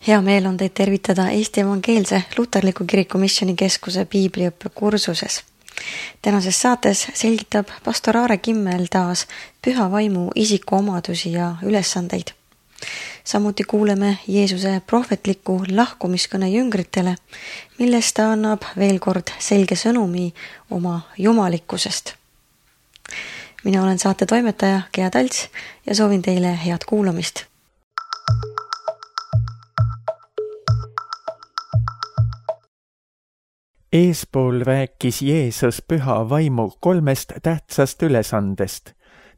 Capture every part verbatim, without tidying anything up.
Hea meel on teid tervitada Eesti Evangeelse Luterliku Kiriku Missionikeskuse piibliõppe kursuses. Tänases saates selgitab pastor Aare Kimmel taas püha vaimu isikuomadusi ja ülesandeid. Samuti kuuleme Jeesuse prohvetliku lahkumiskõne jüngritele, millest ta annab veel kord selge sõnumi oma jumalikkusest. Mina olen saate toimetaja Gea Talts ja soovin teile head kuulamist. Eespool rääkis Jeesus püha vaimu kolmest tähtsast ülesandest.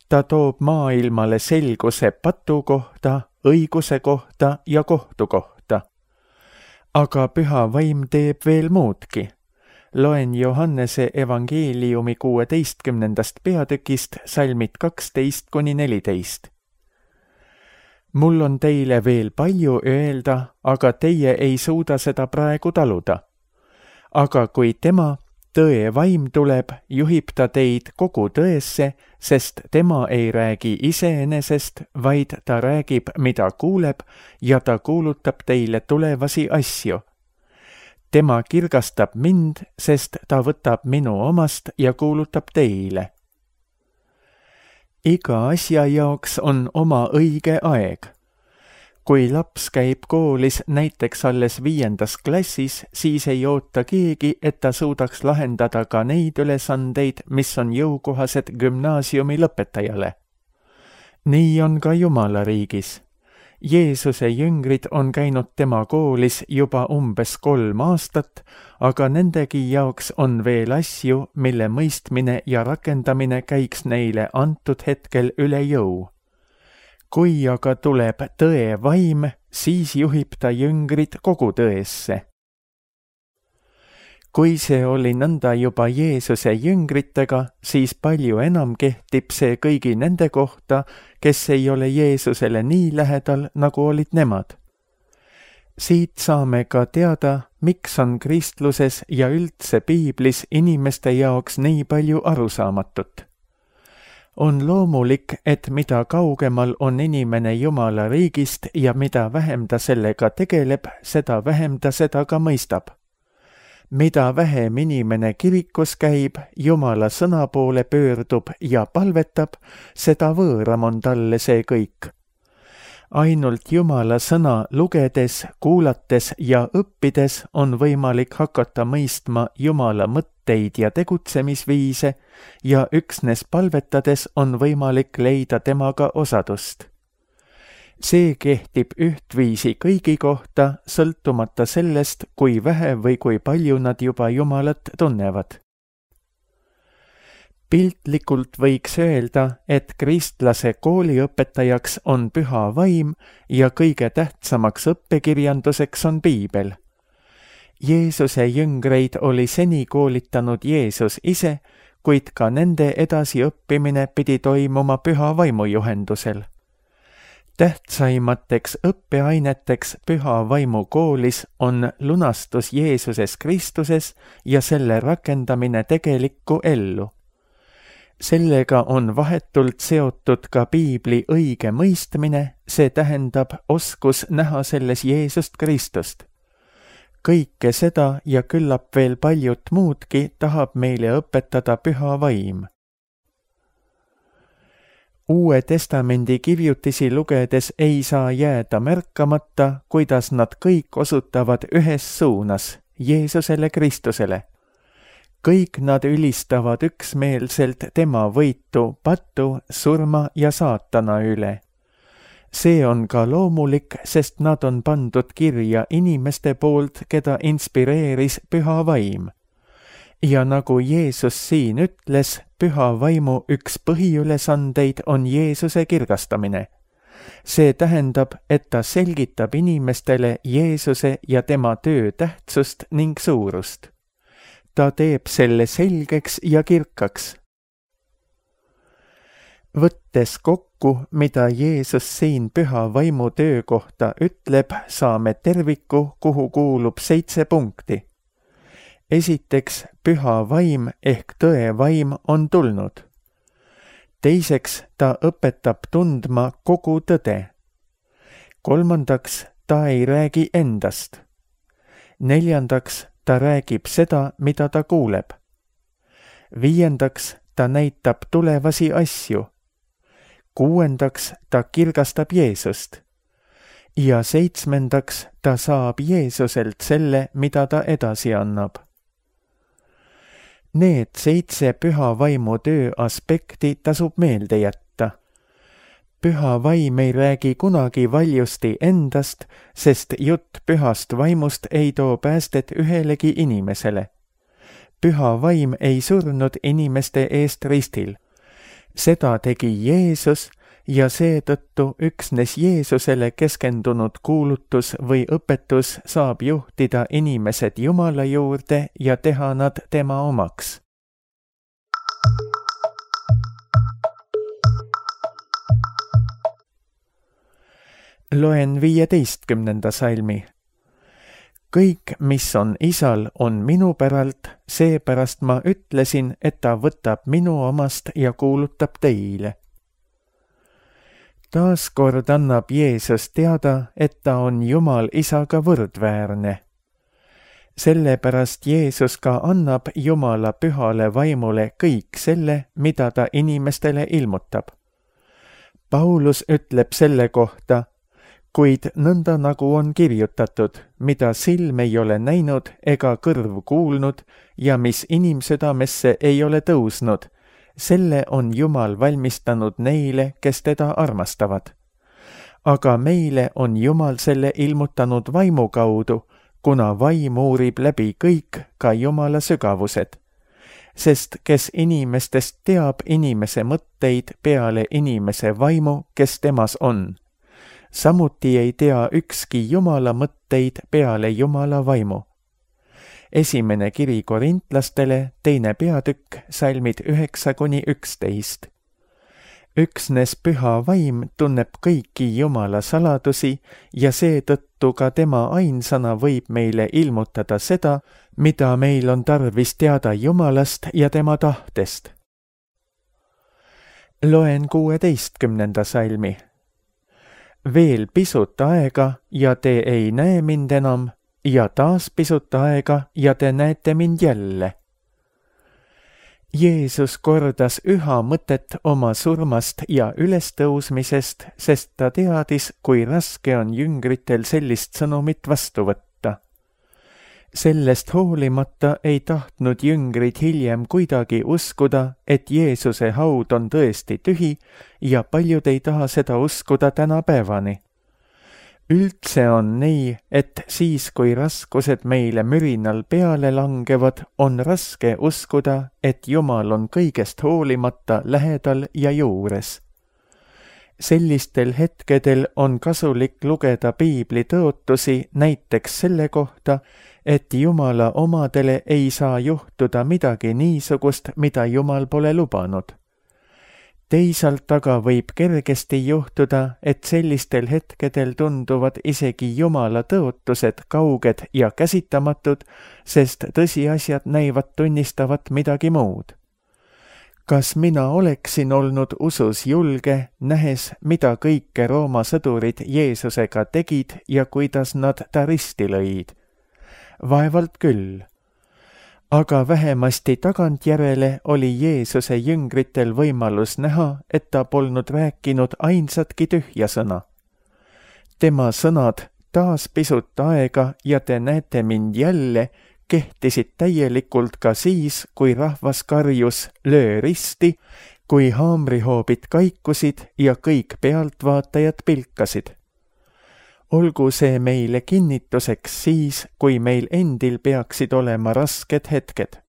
Ta toob maailmale selguse patu kohta, õiguse kohta ja kohtu kohta. Aga püha vaim teeb veel muudki. Loen Johannese evangeeliumi kuueteistkümnendast peatükist salmid kaksteist kuni neliteist. Mul on teile veel palju öelda, aga teie ei suuda seda praegu taluda. Aga kui tema, tõe vaim tuleb, juhib ta teid kogu tõesse, sest tema ei räägi iseenesest, vaid ta räägib, mida kuuleb, ja ta kuulutab teile tulevasi asju. Tema kirgastab mind, sest ta võtab minu omast ja kuulutab teile. Iga asja jaoks on oma õige aeg. Kui laps käib koolis näiteks alles viiendas klassis, siis ei oota keegi, et ta suudaks lahendada ka neid ülesandeid, mis on jõukohased gümnaasiumi lõpetajale. Nii on ka Jumala riigis. Jeesuse jüngrid on käinud tema koolis juba umbes kolm aastat, aga nendegi jaoks on veel asju, mille mõistmine ja rakendamine käiks neile antud hetkel üle jõu. Kui aga tuleb tõe vaim, siis juhib ta jüngrid kogu tõesse. Kui see oli nõnda juba Jeesuse jüngritega, siis palju enam kehtib see kõigi nende kohta, kes ei ole Jeesusele nii lähedal, nagu olid nemad. Siit saame ka teada, miks on kristluses ja üldse piiblis inimeste jaoks nii palju arusaamatut. On loomulik, et mida kaugemal on inimene Jumala riigist ja mida vähem ta sellega tegeleb, seda vähem ta seda ka mõistab. Mida vähem inimene kirikus käib, Jumala sõna poole pöördub ja palvetab, seda võõram on talle see kõik. Ainult Jumala sõna lugedes, kuulates ja õppides on võimalik hakata mõistma Jumala mõtteid ja tegutsemisviise ja üksnes palvetades on võimalik leida temaga osadust. See kehtib ühtviisi kõigi kohta, sõltumata sellest, kui vähe või kui palju nad juba Jumalat tunnevad. Piltlikult võiks öelda, et kristlase kooliõpetajaks on püha vaim ja kõige tähtsamaks õppekirjanduseks on piibel. Jeesuse jüngreid oli seni koolitanud Jeesus ise, kuid ka nende edasiõppimine pidi toimuma püha vaimu juhendusel. Tähtsaimateks õppeaineteks püha vaimu koolis on lunastus Jeesuses Kristuses ja selle rakendamine tegelikku ellu. Sellega on vahetult seotud ka piibli õige mõistmine, see tähendab oskus näha selles Jeesust Kristust. Kõike seda ja küllap veel paljut muudki tahab meile õpetada püha vaim. Uue testamendi kirjutisi lugedes ei saa jääda märkamata, kuidas nad kõik osutavad ühes suunas, Jeesusele Kristusele. Kõik nad ülistavad üksmeelselt tema võitu patu, surma ja saatana üle. See on ka loomulik, sest nad on pandud kirja inimeste poolt, keda inspireeris püha vaim. Ja nagu Jeesus siin ütles, püha vaimu üks põhiülesandeid on Jeesuse kirgastamine. See tähendab, et ta selgitab inimestele Jeesuse ja tema töö tähtsust ning suurust. Ta teeb selle selgeks ja kirkaks. Võttes kokku, mida Jeesus siin püha vaimu töö kohta ütleb, saame terviku, kuhu kuulub seitse punkti. Esiteks, püha vaim ehk tõe vaim on tulnud. Teiseks, ta õpetab tundma kogu tõde. Kolmandaks, ta ei räägi endast. Neljandaks, ta räägib seda, mida ta kuuleb. Viiendaks, ta näitab tulevasi asju. Kuuendaks, ta kirgastab Jeesust. Ja seitsmendaks, ta saab Jeesuselt selle, mida ta edasi annab. Need seitse püha vaimu töö aspekti tasub meelde jätta. Püha vaim ei räägi kunagi valjusti endast, sest jutt pühast vaimust ei too päästet ühelegi inimesele. Püha vaim ei surnud inimeste eest ristil. Seda tegi Jeesus ja seetõttu üksnes Jeesusele keskendunud kuulutus või õpetus saab juhtida inimesed Jumala juurde ja teha nad tema omaks. Loen viieteistkümnenda salmi. Kõik, mis on isal, on minu päralt, seepärast ma ütlesin, et ta võtab minu omast ja kuulutab teile. Taaskord annab Jeesus teada, et ta on Jumal isaga võrdväärne. Sellepärast Jeesus ka annab Jumala pühale vaimule kõik selle, mida ta inimestele ilmutab. Paulus ütleb selle kohta, kuid nõnda nagu on kirjutatud, mida silm ei ole näinud ega kõrv kuulnud ja mis inimsüdamesse ei ole tõusnud, selle on Jumal valmistanud neile, kes teda armastavad. Aga meile on Jumal selle ilmutanud vaimu kaudu, kuna vaim uurib läbi kõik, ka Jumala sügavused. Sest kes inimestest teab inimese mõtteid peale inimese vaimu, kes temas on. Samuti ei tea ükski Jumala mõtteid peale Jumala vaimu. Esimene kiri korintlastele, teine peatükk, salmid üheksa kuni üksteist. Üksnes püha vaim tunneb kõiki Jumala saladusi ja seetõttu ka tema ainsana võib meile ilmutada seda, mida meil on tarvis teada Jumalast ja tema tahtest. Loen kuueteistkümnenda salmi. Veel pisut aega ja te ei näe mind enam ja taas pisut aega ja te näete mind jälle. Jeesus kordas üha mõtet oma surmast ja ülestõusmisest, sest ta teadis, kui raske on jüngritel sellist sõnumit vastu võtta. Sellest hoolimata ei tahtnud jüngrid hiljem kuidagi uskuda, et Jeesuse haud on tõesti tühi ja paljud ei taha seda uskuda tänapäevani. Üldse on nii, et siis, kui raskused meile mürinal peale langevad, on raske uskuda, et Jumal on kõigest hoolimata lähedal ja juures. Sellistel hetkedel on kasulik lugeda piibli tõotusi näiteks selle kohta, et Jumala omadele ei saa juhtuda midagi niisugust, mida Jumal pole lubanud. Teisalt aga võib kergesti juhtuda, et sellistel hetkedel tunduvad isegi Jumala tõotused kauged ja käsitamatud, sest tõsiasjad näivad tunnistavat midagi muud. Kas mina oleksin olnud usus julge, nähes, mida kõike Rooma sõdurid Jeesusega tegid ja kuidas nad ta risti lõid? Vaevalt küll. Aga vähemasti tagantjärele oli Jeesuse jüngritel võimalus näha, et ta polnud rääkinud ainsatki tühja sõna. Tema sõnad taas pisut aega ja te näete mind jälle kehtisid täielikult ka siis, kui rahvas karjus löö risti, kui haamrihoobid kaikusid ja kõik pealtvaatajad pilkasid. Olgu see meile kinnituseks siis, kui meil endil peaksid olema rasked hetked.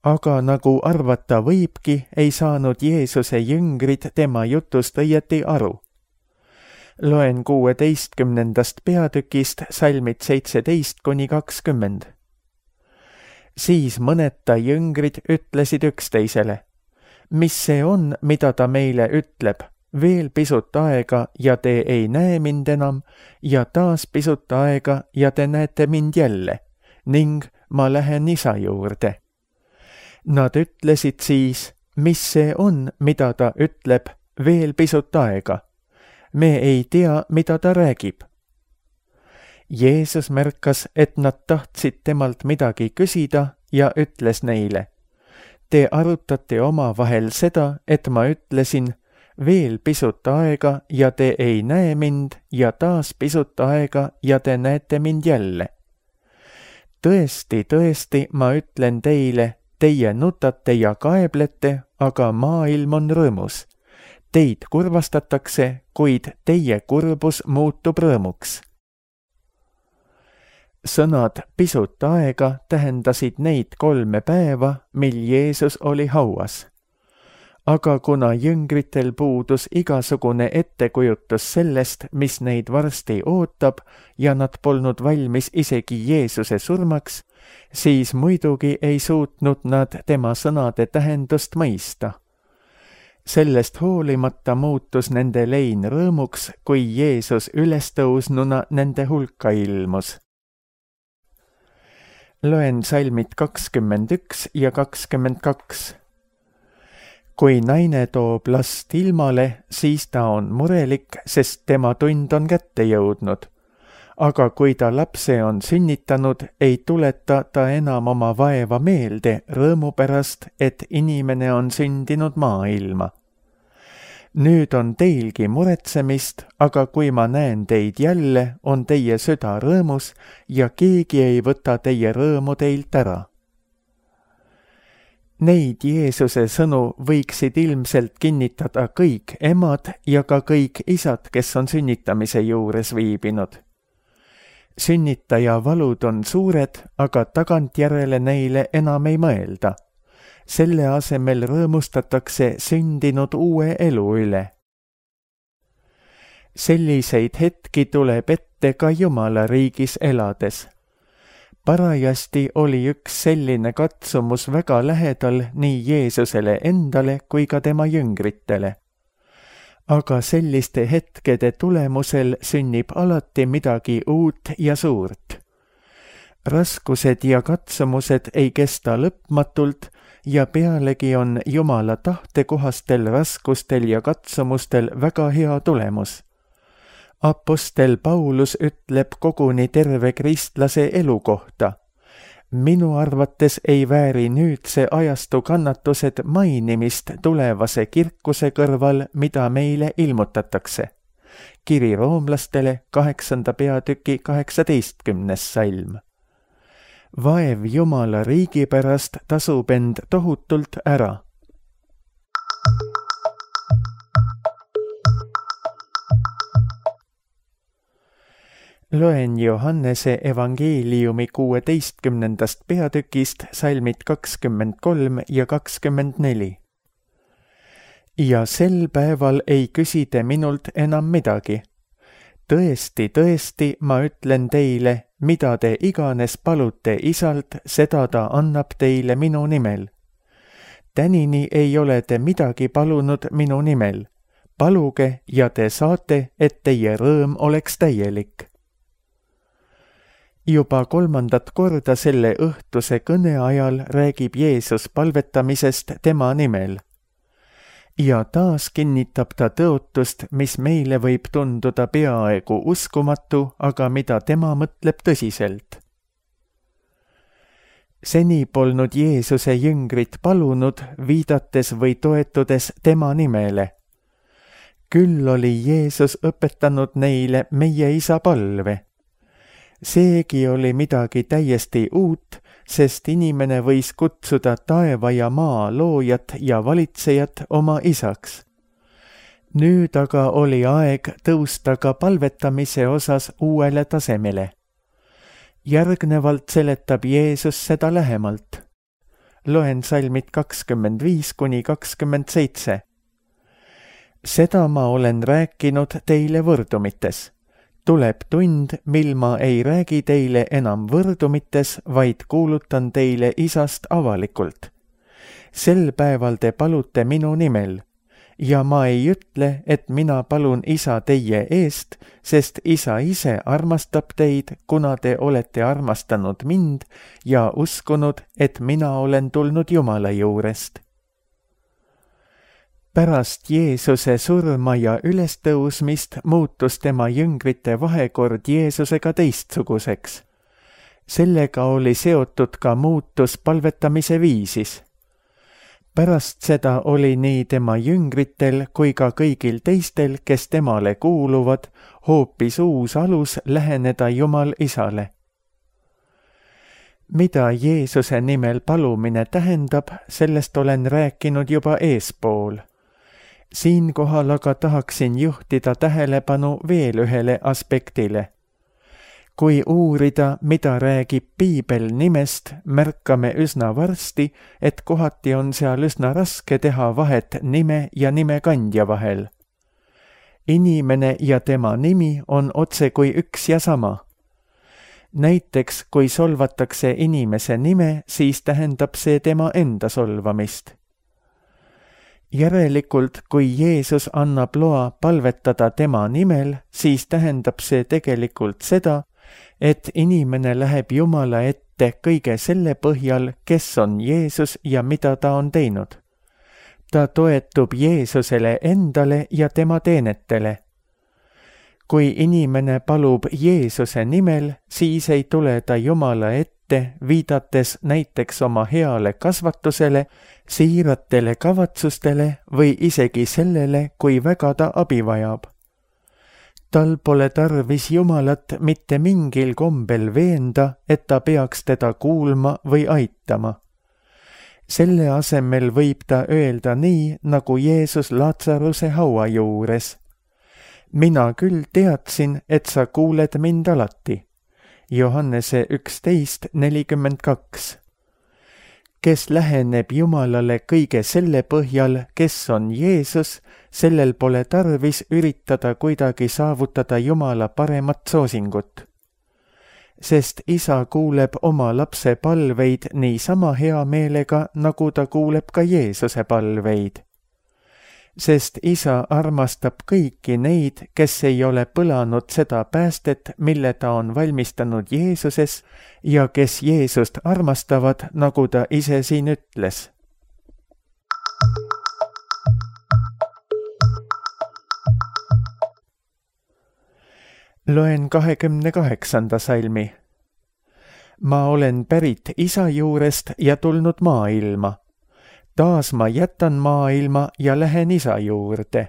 Aga nagu arvata võibki, ei saanud Jeesuse jüngrid tema jutust õieti aru. Loen kuueteistkümnendast peatükist salmid seitseteist kuni kakskümmend. Siis mõned ta jüngrid ütlesid üksteisele, mis see on, mida ta meile ütleb? Veel pisut aega ja te ei näe mind enam ja taas pisut aega ja te näete mind jälle ning ma lähen isa juurde. Nad ütlesid siis, mis see on, mida ta ütleb, veel pisut aega. me ei tea, mida ta räägib. Jeesus märkas, et nad tahtsid temalt midagi küsida ja ütles neile: Te arutate omavahel seda, et ma ütlesin, veel pisut aega ja te ei näe mind ja taas pisut aega ja te näete mind jälle. Tõesti, tõesti, ma ütlen teile, teie nutate ja kaeblete, aga maailm on rõõmus. Teid kurvastatakse, kuid teie kurbus muutub rõõmuks. Sõnad pisut aega tähendasid neid kolme päeva, mil Jeesus oli hauas. Aga kuna jüngritel puudus igasugune ettekujutus sellest, mis neid varsti ootab ja nad polnud valmis isegi Jeesuse surmaks, siis muidugi ei suutnud nad tema sõnade tähendust mõista. Sellest hoolimata muutus nende lein rõõmuks, kui Jeesus ülestõusnuna nende hulka ilmus. Loen salmid kakskümmend üks ja kakskümmend kaks. Kui naine toob last ilmale, siis ta on murelik, sest tema tund on kätte jõudnud. Aga kui ta lapse on sünnitanud, ei tuleta ta enam oma vaeva meelde rõõmu pärast, et inimene on sündinud maailma. Nüüd on teilgi muretsemist, aga kui ma näen teid jälle, on teie süda rõõmus ja keegi ei võta teie rõõmu teilt ära. Neid Jeesuse sõnu võiksid ilmselt kinnitada kõik emad ja ka kõik isad, kes on sünnitamise juures viibinud. Sünnitaja valud on suured, aga tagantjärele neile enam ei mõelda. Selle asemel rõõmustatakse sündinud uue elu üle. Selliseid hetki tuleb ette ka Jumala riigis elades. Parajasti oli üks selline katsumus väga lähedal nii Jeesusele endale kui ka tema jüngritele. Aga selliste hetkede tulemusel sünnib alati midagi uut ja suurt. Raskused ja katsumused ei kesta lõpmatult ja pealegi on Jumala tahtekohastel raskustel ja katsumustel väga hea tulemus. Apostel Paulus ütleb koguni terve kristlase elu kohta. Minu arvates ei vääri nüüdse ajastu kannatused mainimist tulevase kirkuse kõrval, mida meile ilmutatakse. Kiri roomlastele kaheksanda peatüki kaheksateistkümnes salm. Vaev Jumala riigi pärast tasub end tohutult ära. Loen Johannese evangeeliumi kuueteistkümnendast peatükist salmid kakskümmend kolm ja kakskümmend neli. Ja sel päeval ei küsi te minult enam midagi. Tõesti, tõesti, ma ütlen teile, mida te iganes palute isalt, seda ta annab teile minu nimel. Tänini ei ole te midagi palunud minu nimel. Paluge ja te saate, et teie rõõm oleks täielik. Juba kolmandat korda selle õhtuse kõne ajal räägib Jeesus palvetamisest tema nimel. Ja taas kinnitab ta tõotust, mis meile võib tunduda peaaegu uskumatu, aga mida tema mõtleb tõsiselt. Seni polnud Jeesuse jüngrid palunud, viidates või toetudes tema nimele. Küll oli Jeesus õpetanud neile meie isa palve. Seegi oli midagi täiesti uut, sest inimene võis kutsuda taeva ja maa loojat ja valitsejat oma isaks. Nüüd aga oli aeg tõusta ka palvetamise osas uuele tasemele. Järgnevalt seletab Jeesus seda lähemalt. Loen salmid kakskümmend viis kuni kakskümmend seitse. Seda ma olen rääkinud teile võrdumites. Tuleb tund, mil ma ei räägi teile enam võrdumites, vaid kuulutan teile isast avalikult. Sel päeval te palute minu nimel, ja ma ei ütle, et mina palun isa teie eest, sest isa ise armastab teid, kuna te olete armastanud mind ja uskunud, et mina olen tulnud Jumala juurest. Pärast Jeesuse surma ja ülestõusmist muutus tema jüngrite vahekord Jeesusega teistsuguseks. Sellega oli seotud ka muutus palvetamise viisis. Pärast seda oli nii tema jüngritel kui ka kõigil teistel, kes temale kuuluvad, hoopis uus alus läheneda Jumal Isale. Mida Jeesuse nimel palumine tähendab, sellest olen rääkinud juba eespool. Siinkohal aga tahaksin juhtida tähelepanu veel ühele aspektile. Kui uurida, mida räägib piibel nimest, märkame üsna varsti, et kohati on seal üsna raske teha vahet nime ja nimekandja vahel. Inimene ja tema nimi on otse kui üks ja sama. Näiteks, kui solvatakse inimese nime, siis tähendab see tema enda solvamist. Järelikult, kui Jeesus annab loa palvetada tema nimel, siis tähendab see tegelikult seda, et inimene läheb Jumala ette kõige selle põhjal, kes on Jeesus ja mida ta on teinud. Ta toetub Jeesusele endale ja tema teenetele. Kui inimene palub Jeesuse nimel, siis ei tule ta Jumala ette, viidates näiteks oma heale kasvatusele, siiratele kavatsustele või isegi sellele, kui väga ta abi vajab. Tal pole tarvis Jumalat mitte mingil kombel veenda, et ta peaks teda kuulma või aitama. Selle asemel võib ta öelda nii, nagu Jeesus Laatsaruse haua juures. Mina küll teadsin, et sa kuuled mind alati. Johannese üksteist nelikümmend kaks. Kes läheneb Jumalale kõige selle põhjal, kes on Jeesus, sellel pole tarvis üritada kuidagi saavutada Jumala paremat soosingut. Sest isa kuuleb oma lapse palveid niisama hea meelega, nagu ta kuuleb ka Jeesuse palveid. Sest isa armastab kõiki neid, kes ei ole põlanud seda päästet, mille ta on valmistanud Jeesuses ja kes Jeesust armastavad, nagu ta ise siin ütles. Loen kahekümne kaheksanda salmi. Ma olen pärit isa juurest ja tulnud maailma. Taas ma jätan maailma ja lähen isa juurde.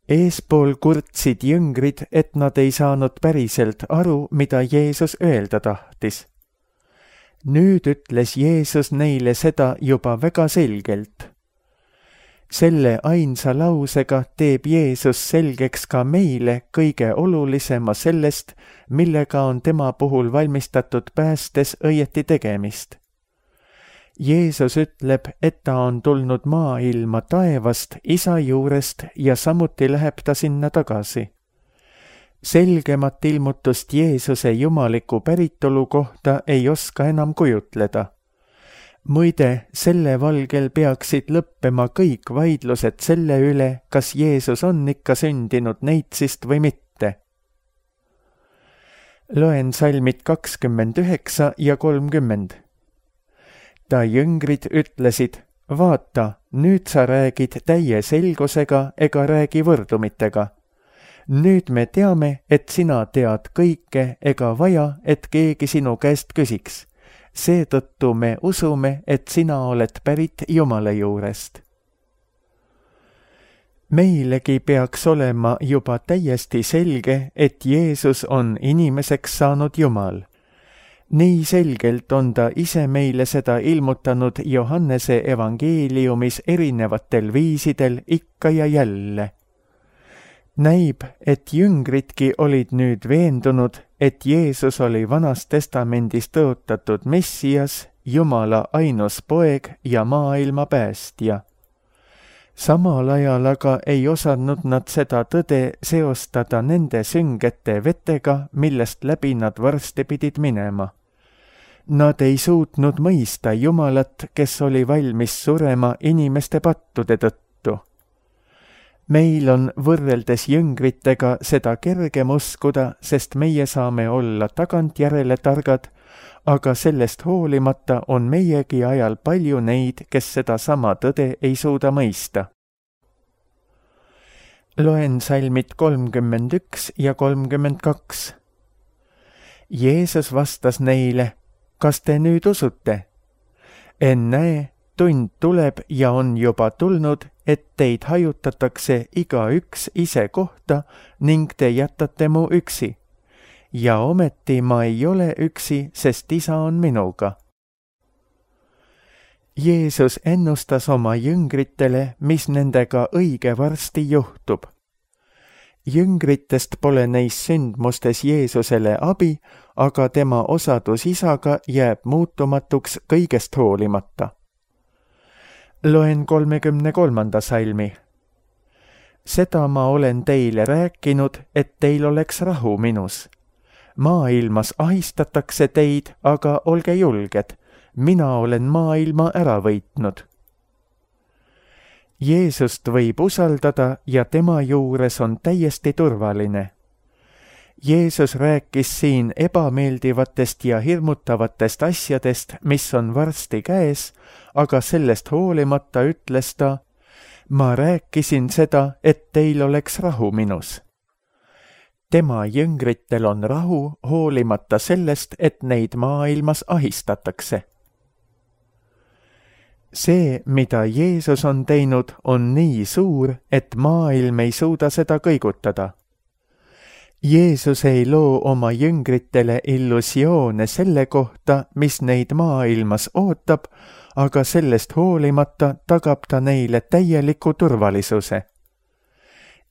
Eespool kurtsid jüngrid, et nad ei saanud päriselt aru, mida Jeesus öelda tahtis. Nüüd ütles Jeesus neile seda juba väga selgelt. Selle ainsa lausega teeb Jeesus selgeks ka meile kõige olulisema sellest, millega on tema puhul valmistatud päästes õieti tegemist. Jeesus ütleb, et ta on tulnud maailma taevast, isa juurest ja samuti läheb ta sinna tagasi. Selgemat ilmutust Jeesuse jumaliku päritolu kohta ei oska enam kujutleda. Muide, selle valgel peaksid lõppema kõik vaidlused selle üle, kas Jeesus on ikka sündinud neitsist või mitte. Loen salmid kakskümmend üheksa ja kolmkümmend. Ta jüngrid ütlesid, vaata, nüüd sa räägid täie selgusega ega räägi võrdumitega. Nüüd me teame, et sina tead kõike ega vaja, et keegi sinu käest küsiks. Seetõttu me usume, et sina oled pärit Jumala juurest. Meilegi peaks olema juba täiesti selge, et Jeesus on inimeseks saanud Jumal. Nii selgelt on ta ise meile seda ilmutanud Johannese evangeeliumis erinevatel viisidel ikka ja jälle. Näib, et jüngridki olid nüüd veendunud, et Jeesus oli Vanas Testamendis tõotatud Messias, Jumala ainus poeg ja maailma päästja. Samal ajal aga ei osanud nad seda tõde seostada nende süngete vetega, millest läbi nad varsti pidid minema. Nad ei suutnud mõista Jumalat, kes oli valmis surema inimeste pattude tõttu. meil on võrreldes jüngritega seda kergem uskuda, sest meie saame olla tagantjärele targad, aga sellest hoolimata on meiegi ajal palju neid, kes seda sama tõde ei suuda mõista. Loen salmid kolmkümmend üks ja kolmkümmend kaks. Jeesus vastas neile, kas te nüüd usute? Ennäe, tund tuleb ja on juba tulnud, et teid hajutatakse igaüks ise kohta ning te jätate mu üksi. Ja ometi ma ei ole üksi, sest isa on minuga. Jeesus ennustas oma jüngritele, mis nendega õige varsti juhtub. Jüngritest pole neis sündmustes Jeesusele abi, aga tema osadus isaga jääb muutumatuks kõigest hoolimata. Loen kolmekümne kolmanda salmi. Seda ma olen teile rääkinud, et teil oleks rahu minus. Maailmas ahistatakse teid, aga olge julged, mina olen maailma ära võitnud. Jeesust võib usaldada ja tema juures on täiesti turvaline. Jeesus rääkis siin ebameeldivatest ja hirmutavatest asjadest, mis on varsti käes, aga sellest hoolimata ütles ta, ma rääkisin seda, et teil oleks rahu minus. Tema jüngritel on rahu hoolimata sellest, et neid maailmas ahistatakse. See, mida Jeesus on teinud, on nii suur, et maailm ei suuda seda kõigutada. Jeesus ei loo oma jüngritele illusioone selle kohta, mis neid maailmas ootab, aga sellest hoolimata tagab ta neile täieliku turvalisuse.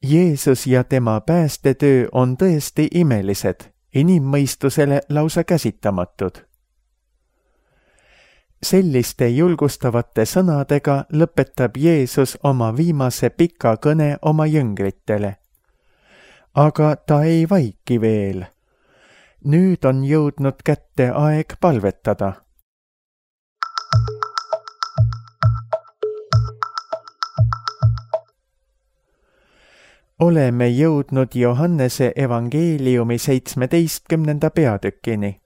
Jeesus ja tema päästetöö on tõesti imelised, inimmõistusele lausa käsitamatud. Selliste julgustavate sõnadega lõpetab Jeesus oma viimase pika kõne oma jüngritele. Aga ta ei vaiki veel. Nüüd on jõudnud kätte aeg palvetada. Oleme jõudnud Johannese evangeeliumi seitsmeteistkümnenda peatükini.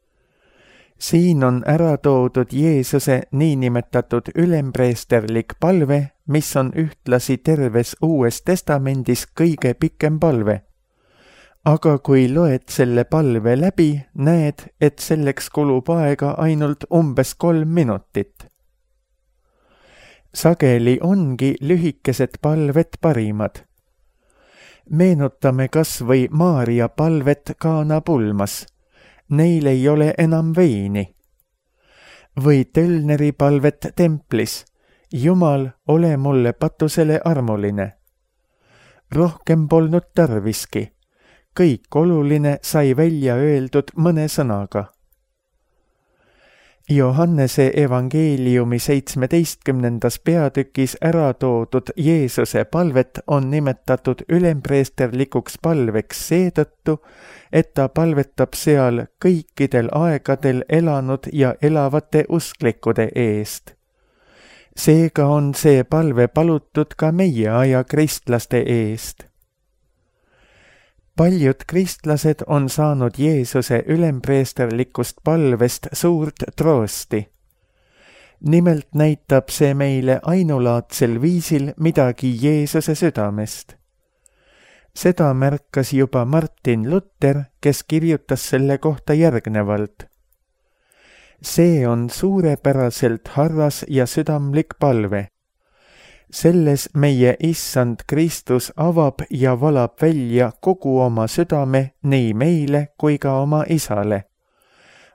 Siin on ära toodud Jeesuse niinimetatud ülempreesterlik palve, mis on ühtlasi terves Uues Testamendis kõige pikem palve. Aga kui loed selle palve läbi, näed, et selleks kulub aega ainult umbes kolm minutit. Sageli ongi lühikesed palved parimad. Meenutame kas või Maaria palvet Kaana pulmas. Neil ei ole enam veini. Või Tölneri palvet templis. Jumal, ole mulle patusele armuline. Rohkem polnud tarviski. Kõik oluline sai välja öeldud mõne sõnaga. Johannese evangeeliumi seitsmeteistkümnendas peatükis ära toodud Jeesuse palvet on nimetatud ülempreesterlikuks palveks seetõttu, et ta palvetab seal kõikidel aegadel elanud ja elavate usklikude eest. Seega on see palve palutud ka meie aja kristlaste eest. Paljud kristlased on saanud Jeesuse ülempreesterlikust palvest suurt troosti. Nimelt näitab see meile ainulaadsel viisil midagi Jeesuse südamest. Seda märkas juba Martin Luther, kes kirjutas selle kohta järgnevalt. See on suurepäraselt harras ja südamlik palve. Selles meie Issand Kristus avab ja valab välja kogu oma südame nii meile kui ka oma isale.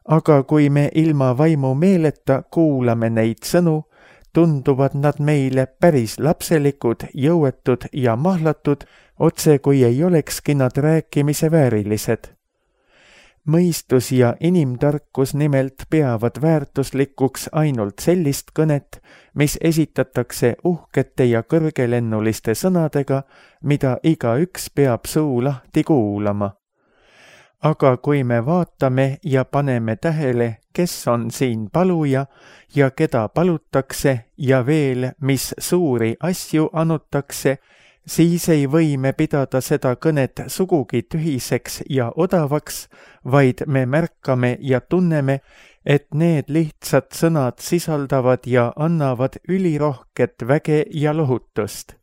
Aga kui me ilma vaimu meeleta kuulame neid sõnu, tunduvad nad meile päris lapselikud, jõuetud ja mahlatud, otse kui ei olekski nad rääkimise väärilised. Mõistus ja inimtarkus nimelt peavad väärtuslikuks ainult sellist kõnet, mis esitatakse uhkete ja kõrgelennuliste sõnadega, mida igaüks peab suu lahti kuulama. Aga kui me vaatame ja paneme tähele, kes on siin paluja ja keda palutakse ja veel, mis suuri asju anutakse, siis ei või me pidada seda kõnet sugugi tühiseks ja odavaks, vaid me märkame ja tunneme, et need lihtsad sõnad sisaldavad ja annavad ülirohket väge ja lohutust.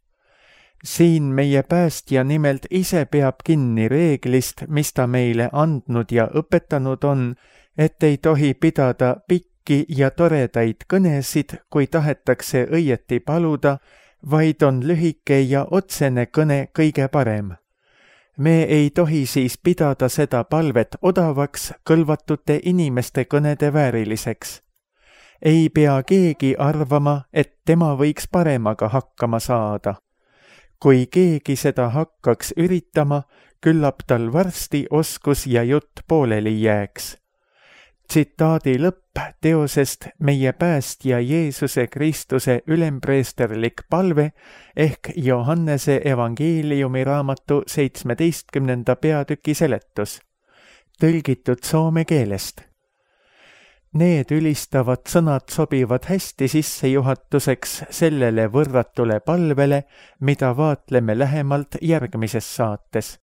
Siin meie päästja nimelt ise peab kinni reeglist, mis ta meile andnud ja õpetanud on, et ei tohi pidada pikki ja toredaid kõnesid, kui tahetakse õieti paluda, vaid on lühike ja otsene kõne kõige parem. Me ei tohi siis pidada seda palvet odavaks kõlvatute inimeste kõnede vääriliseks. Ei pea keegi arvama, et tema võiks paremaga hakkama saada. Kui keegi seda hakkaks üritama, küllap tal varsti oskus ja jutt pooleli jääks. Tsitaadi lõpp teosest Meie päästja Jeesuse Kristuse ülempreesterlik palve ehk Johannese evangeeliumi raamatu seitsmeteistkümnenda peatüki seletus, tõlgitud soome keelest. Need ülistavad sõnad sobivad hästi sissejuhatuseks sellele võrratule palvele, mida vaatleme lähemalt järgmises saates.